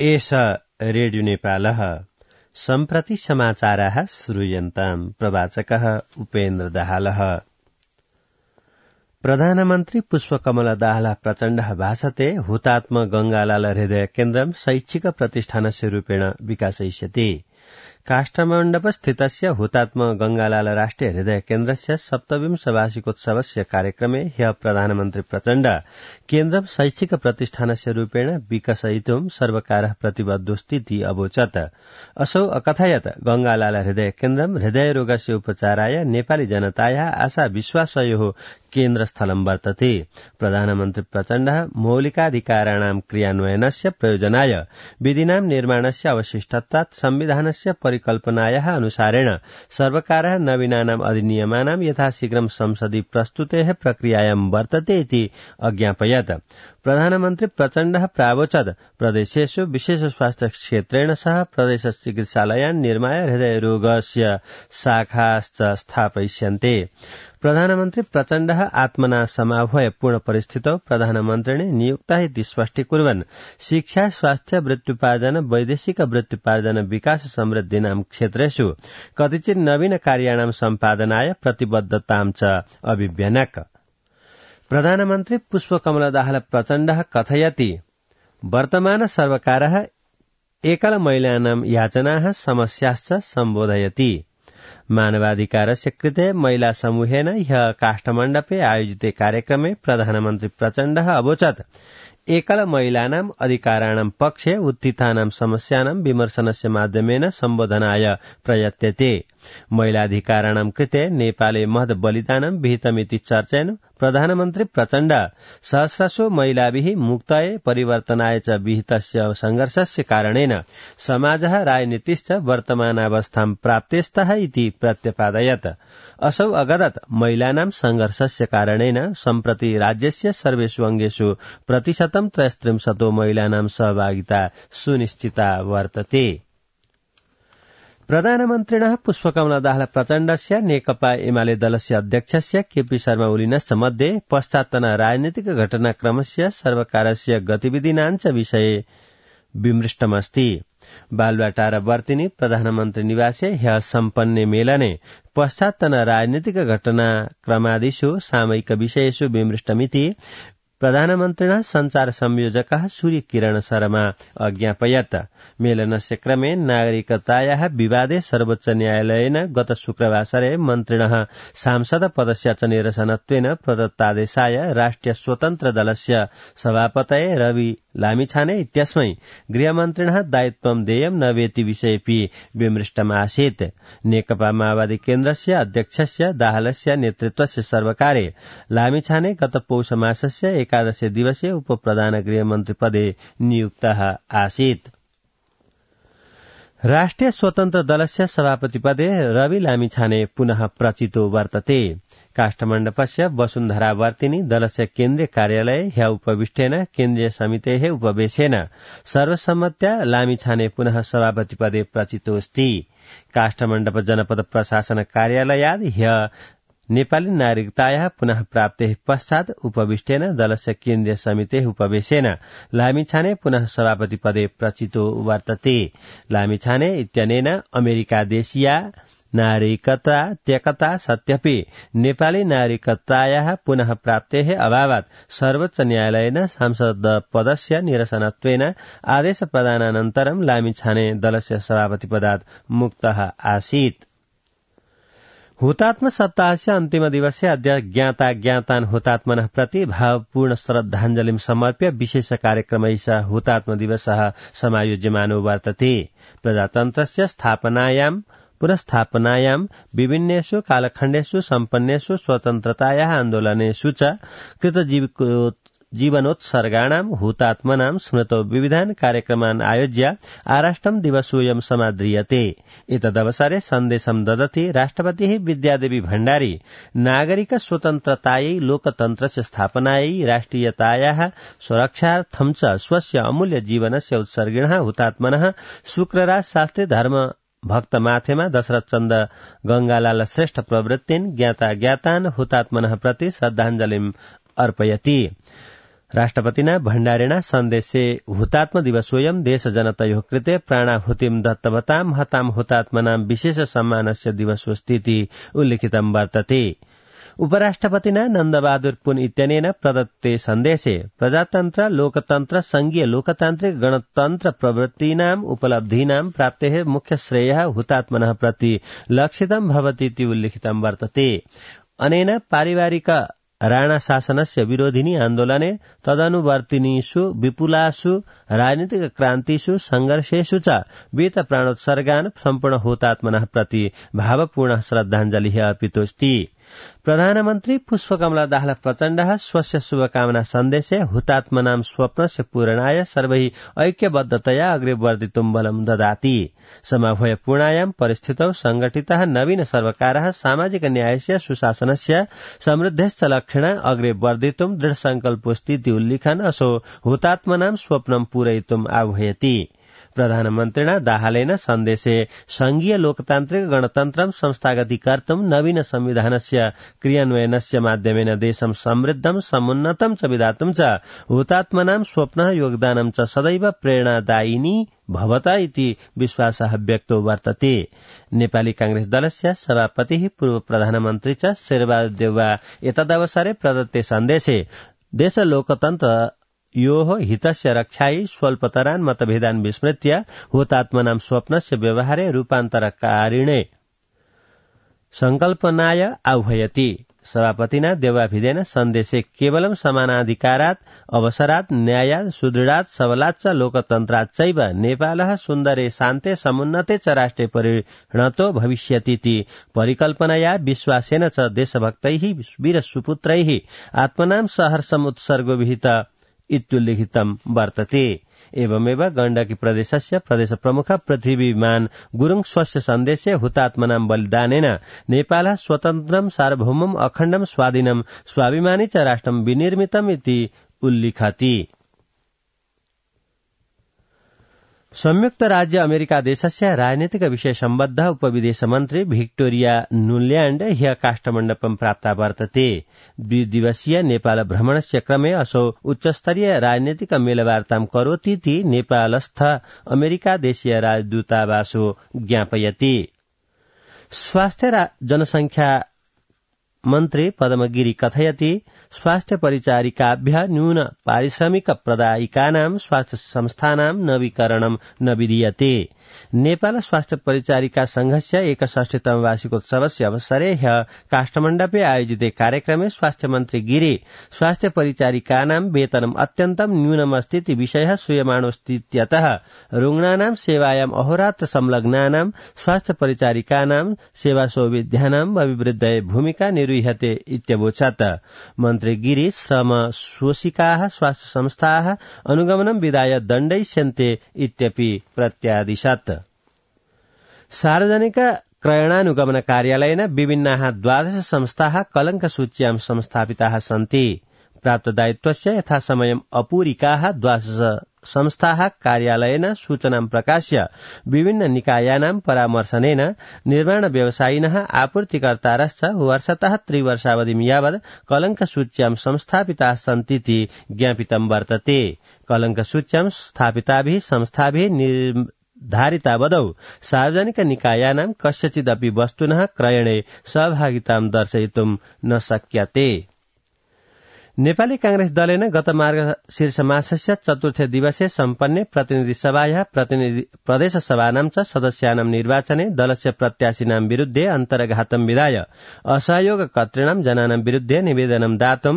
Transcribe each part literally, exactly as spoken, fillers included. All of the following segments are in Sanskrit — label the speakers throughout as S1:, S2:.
S1: एष रेडियो नेपालः सम्प्रति समाचाराः श्रूयन्ताम्। प्रवाचकः उपेन्द्र दाहालः। प्रधानमन्त्री पुष्पकमल दाहाल प्रचण्डः भाषते हुतात्म गंगालाल हृदय केन्द्रं शैक्षिक प्रतिष्ठानस्य रूपेण विकासयिष्यति। काष्ठमण्डपस्थितस्य हुतात्म गंगालाल राष्ट्रिय हृदय केन्द्रस्य सप्तविंश वार्षिकोत्सवस्य कार्यक्रमे ह्यः प्रधानमन्त्री प्रचण्ड केन्द्रं शैक्षिक प्रतिष्ठानस्य रूपेण विकसयितुं सर्वकारः प्रतिबद्धोऽस्तीति अवोचत्। असौ अकथयत् गंगालाल हृदय केन्द्रं हृदयरोगस्य उपचाराय नेपाली जनतायाः आशा विश्वासयोः केन्द्रस्थलं वर्तते। प्रधानमन्त्री प्रचण्डः मौलिकाधिकाराणां क्रियान्वयनस्य प्रयोजनाय विधिनां निर्माणस्य अवशिष्टत्वात् संविधानस्य परिकल्पनायाः अनुसारेण सर्वकारः नवीनानाम् अधिनियमानां यथाशीघ्रं संसदि प्रस्तुतेः प्रक्रियायां वर्तते इति अज्ञापयत्। प्रधानमन्त्री प्रचण्डः प्रावोचत् प्रदेशेषु विशेष स्वास्थ्य क्षेत्रेण सह प्रदेश चिकित्सालयान् निर्माय हृदयरोगस्य शाखाश्च स्थापयिष्यन्ते। प्रधानमन्त्री प्रचण्डः आत्मना समाह्वय पूर्ण परिस्थितौ प्रधानमन्त्रिणे नियुक्तः इति स्पष्टीकुर्वन् शिक्षा स्वास्थ्य वृत्त्युपार्जन वैदेशिक वृत्त्युपार्जन विकास समृद्धिनां क्षेत्रेषु कतिचित् नवीन कार्याणां सम्पादनाय प्रतिबद्धतां च अभिव्यनक्। प्रधानमन्त्री पुष्पकमल दाहाल प्रचण्डः कथयति वर्तमान सर्वकारः एकल महिलानां याचनाः समस्याश्च सम्बोधयति। मानवाधिकारस्य कृते महिला समूहेन ह्यः काष्ठमण्डपे आयोजिते कार्यक्रमे प्रधानमन्त्री प्रचण्डः अवोचत् एकल महिलानाम् अधिकाराणां पक्षे उत्थितानां समस्यानां विमर्शनस्य माध्यमेन सम्बोधनाय प्रयत्यते। महिलाधिकाराणां कृते नेपाले महत् बलिदानं विहितमिति चर्चयन् प्रधानमन्त्री प्रचण्ड सहस्रशो महिलाभिः मुक्तये परिवर्तनाय च विहितस्य संघर्षस्य कारणेन समाजः राजनीतिश्च वर्तमानावस्थां प्राप्तेस्तः इति प्रत्यपादयत्। असौ अगदत् महिलानां संघर्षस्य कारणेन सम्प्रति राज्यस्य सर्वेषु अङ्गेषु प्रतिशतं त्रयस्त्रिंशतो महिलानां सहभागिता सुनिश्चिता वर्तते। प्रधानमन्त्रिणः पुष्पकमल दाहाल प्रचण्डस्य नेकपा एमाले दलस्य अध्यक्षस्य केपी शर्मा ओलीनश्च मध्ये पश्चात्तन राजनीतिक घटनाक्रमस्य सर्वकारस्य गतिविधिनाञ्च विषये विमृष्टमस्ति। बालुवाटार वर्तिनी प्रधानमन्त्री निवासे ह्यः सम्पन्ने मेलने पश्चात्तन राजनीतिक घटनाक्रमादिषु सामयिक विषयेषु विमृष्टमिति प्रधानमन्त्रिणः संचार संयोजकः सूर्य किरण शर्मा अज्ञापयत्। मेलनस्य क्रमे नागरिकतायाः विवादे सर्वोच्च न्यायालयेन गत शुक्रवासरे मन्त्रिणः सांसद पदस्य च निरसनत्वेन प्रदत्तादेशाय राष्ट्रिय स्वतन्त्र दलस्य सभापतये रवि लामिछाने इत्यस्मै गृहमन्त्रिणः दायित्वं देयं न वेति विषयेऽपि विमृष्टमासीत्। नेकपा माओवादी केन्द्रस्य अध्यक्षस्य दाहालस्य नेतृत्वस्य सर्वकारे लामिछाने गत पौष मासस्य एकादशे दिवसे उपप्रधान गृहमन्त्री पदे नियुक्तः आसीत्। राष्ट्रिय स्वतन्त्र दलस्य सभापति पदे रवि लामिछाने पुनः प्रचितो वर्तते। काष्ठमण्डपस्य वसुन्धरा वर्तिनी दलस्य केन्द्रीय कार्यालये ह्यः उपविष्टेन केन्द्रीय समितेः उपवेशेन सर्वसम्मत्या लामिछाने पुनः सभापति पदे प्रचितोऽस्ति। काष्ठमण्डप जनपद प्रशासन कार्यालयाद् ह्यः नेपाली नागरिकतायाः पुनः प्राप्तेः पश्चात् उपविष्टेन दलस्य केन्द्रीय समितेः उपवेशेन लामिछाने पुनः सभापति पदे प्रचितो वर्तते। लामिछाने इत्यनेन अमेरिकादेशीया नागरिकता त्यक्ता सत्यपि नेपाली नागरिकतायाः पुनः प्राप्तेः अभावात् सर्वोच्च न्यायालयेन सांसद पदस्य निरसनत्वेन आदेश प्रदानानन्तरं लामिछाने दलस्य सभापति पदात् मुक्तः आसीत्। हुतात्म सप्ताहस्य अन्तिम दिवसे अद्य ज्ञाता ज्ञातान् हुतात्मनः प्रति भावपूर्ण श्रद्धाञ्जलिं समर्प्य विशेष कार्यक्रमैः हुतात्म दिवसः समायोज्यमानो वर्तते। प्रजातन्त्रस्य स्थापनायां पुनस्थापनायां विभिन्नेषु कालखण्डेषु सम्पन्नेषु स्वतन्त्रतायाः आन्दोलनेषु च कृतजीविको जीवनोत्सर्गाणां हुतात्मनां स्मृतौ विविधान् कार्यक्रमान् आयोज्य आराष्ट्रं दिवसोऽयं समाद्रियते। एतदवसरे सन्देशं ददति राष्ट्रपतिः विद्यादेवी भण्डारी नागरिक स्वतन्त्रतायै लोकतन्त्रस्य स्थापनायै राष्ट्रियतायाः सुरक्षार्थं च स्वस्य अमूल्य जीवनस्य उत्सर्गिणः हुतात्मनः शुक्रराज शास्त्री धर्म भक्त माथेमा दशरथ चन्द गंगालाल श्रेष्ठ प्रवृत्तिन् ज्ञाता ज्ञातान् हुतात्मनः प्रति श्रद्धाञ्जलिम् अर्पयति। राष्ट्रपतिना भण्डारिणा सन्देशे हुतात्म दिवसोऽयं देशजनतयोः कृते प्राणाहुतिं दत्तवतां हतां हुतात्मनां विशेष सम्मानस्य दिवसोऽस्तीति उल्लिखितं वर्तते। उपराष्ट्रपतिना नन्दबहादुर पुन इत्यनेन प्रदत्ते सन्देशे प्रजातन्त्र लोकतन्त्र संघीय लोकतान्त्रिक गणतन्त्र प्रवृत्तीनाम् उपलब्धीनां प्राप्तेः मुख्य श्रेयः हुतात्मनः प्रति लक्षितं भवतीति उल्लिखितं वर्तते। अनेन पारिवारिक राणा शासनस्य विरोधिनी आन्दोलने तदनुवर्तिनीषु विपुलासु राजनीतिक क्रान्तिषु संघर्षेषु च वीत प्राणोत्सर्गान् सम्पूर्ण हुतात्मनः प्रति भावपूर्ण श्रद्धाञ्जलिः अर्पितोऽस्ति। प्रधानमन्त्री पुष्पकमल दाहाल प्रचण्डः स्वस्य शुभकामना सन्देशे हुतात्मनां स्वप्नस्य पूरणाय सर्वैः ऐक्यबद्धतया अग्रे वर्धितुं बलं ददाति। समभयपूर्णायां परिस्थितौ संगठितः नवीन सर्वकारः सामाजिक न्यायस्य सुशासनस्य समृद्धश्च लक्षणा अग्रे वर्धितुं दृढसङ्कल्पोऽस्तीति उल्लिखन् असौ हुतात्मनां स्वप्नं पूरयितुम् आह्वयति। प्रधानमन्त्रिणा दाहालेन सन्देशे संघीय लोकतान्त्रिक गणतन्त्रं संस्थागतीकर्तुं नवीन संविधानस्य क्रियान्वयनस्य माध्यमेन देशं समृद्धं समुन्नतं च विधातुं च हुतात्मनां स्वप्नः योगदानं च सदैव प्रेरणादायिनी भवता इति विश्वासः व्यक्तो वर्तते। नेपाली कांग्रेस दलस्य सभापतिः पूर्व प्रधानमन्त्री च शेरबहादुर देउवा एतदवसरे प्रदत्ते सन्देशे देश लोकतन्त्र योः हितस्य रक्षायै स्वल्पतरान् मतभेदान् विस्मृत्य हुतात्मनां स्वप्नस्य व्यवहारे रूपान्तरकारिणे संकल्पनाय आह्वयति। सभापतिना देवाभिधेन सन्देशे केवलं समानाधिकारात् अवसरात् न्यायात् सुदृढात् सबलात् च लोकतन्त्रात् चैव नेपालः सुन्दरे शान्ते समुन्नते च राष्ट्रे परिणतो भविष्यतीति परिकल्पनया विश्वासेन च देशभक्तैः वीरसुपुत्रैः आत्मनां सहर्षम् उत्सर्गो विहित इत्युल्लिखितं वर्तते। एवमेव गण्डकी प्रदेशस्य प्रदेश प्रमुख पृथ्वीमान गुरुङ स्वस्य सन्देशे हुतात्मनां बलिदानेन नेपालः स्वतन्त्रं सार्वभौमम् अखण्डं स्वाधीनं स्वाभिमानी च राष्ट्रं विनिर्मितम् इति उल्लिखति। संयुक्त राज्य अमेरिका देशस्य राजनीतिक विषय सम्बद्ध उपविदेश मन्त्री भिक्टोरिया नुल्याण्ड ह्य काष्ठमण्डपं प्राप्ता वर्तते। द्विदिवसीय नेपाल भ्रमणस्य क्रमे असौ उच्चस्तरीय राजनीतिक मेलवार्तां करोतीति नेपालस्थ अमेरिका देशीय राजदूतावासो ज्ञापयति। स्वास्थ्य जनसंख्या मन्त्री पद्मगिरी कथयति स्वास्थ्य परिचारिकाभ्यः न्यून पारिश्रमिक प्रदायिकानां स्वास्थ्य संस्थानां नवीकरणं न विधीयते। नेपाल स्वास्थ्य परिचारिका संघस्य एकषष्टितम वार्षिकोत्सवस्य अवसरे ह्यः काष्ठमण्डपे आयोजिते कार्यक्रमे स्वास्थ्य मन्त्री गिरी स्वास्थ्य परिचारिकानां वेतनम् अत्यन्तं न्यूनमस्तीति विषयः श्रूयमाणोऽस्तीत्यतः रुग्णानां सेवायाम् अहोरात्र संलग्नानां स्वास्थ्य परिचारिकानां सेवासौविध्यानाम् अभिवृद्धये भूमिका निर्वह्यते इत्यवोचत्। मन्त्री गिरी श्रम शोषिकाः स्वास्थ्य संस्थाः अनुगमनं विधाय दण्डयिष्यन्ते इत्यपि प्रत्यादिशत्। सार्वजनिक क्रयणानुगमन कार्यालयेन विभिन्नाः द्वादश संस्थाः कलङ्कसूच्यां संस्थापिताः सन्ति। प्राप्तदायित्वस्य यथासमयम् अपूरिकाः द्वादश संस्थाः कार्यालयेन सूचनां प्रकाश्य विभिन्न निकायानां परामर्शनेन निर्माण व्यवसायिनः आपूर्तिकर्तारश्च वर्षतः त्रिवर्षावधिं यावत् कलङ्कसूच्यां संस्थापिताः सन्तीति ज्ञापितं वर्तते। कलङ्कसूच्यां स्थापिताभिः संस्थाभिः निर्धारितावधौ सार्वजनिक निकायानां कस्यचिदपि वस्तुनः क्रयणे सहभागितां दर्शयितुं न शक्यते। नेपाली कांग्रेस दलेन गत मार्गशीर्ष मासस्य चतुर्थे दिवसे सम्पन्ने प्रतिनिधि सभायाः प्रतिनिधि प्रदेश सभानां च सदस्यानां निर्वाचने दलस्य प्रत्याशिनां विरुद्धे अन्तर्घातं विधाय असहयोगकर्तॄणां जनानां विरुद्धे निवेदनं दातुं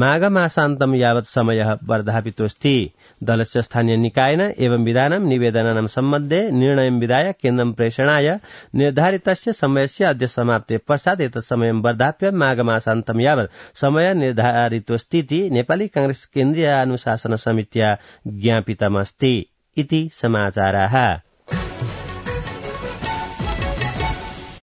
S1: माघमासान्तं यावत् समयः वर्धापितोऽस्ति। दलस्य स्थानीय निकायेन एवं विधानं निवेदनानां सम्बन्धे निर्णयं विधाय केन्द्रं प्रेषणाय निर्धारितस्य समयस्य अद्य समाप्ते पश्चात् एतत् समयं वर्धाप्य माघमासान्तं यावत् समय निर्धारितोऽस्ति स्थिति नेपाली कांग्रेस केन्द्रीय अनुशासन समित्या ज्ञापितमस्ति इति समाचाराः।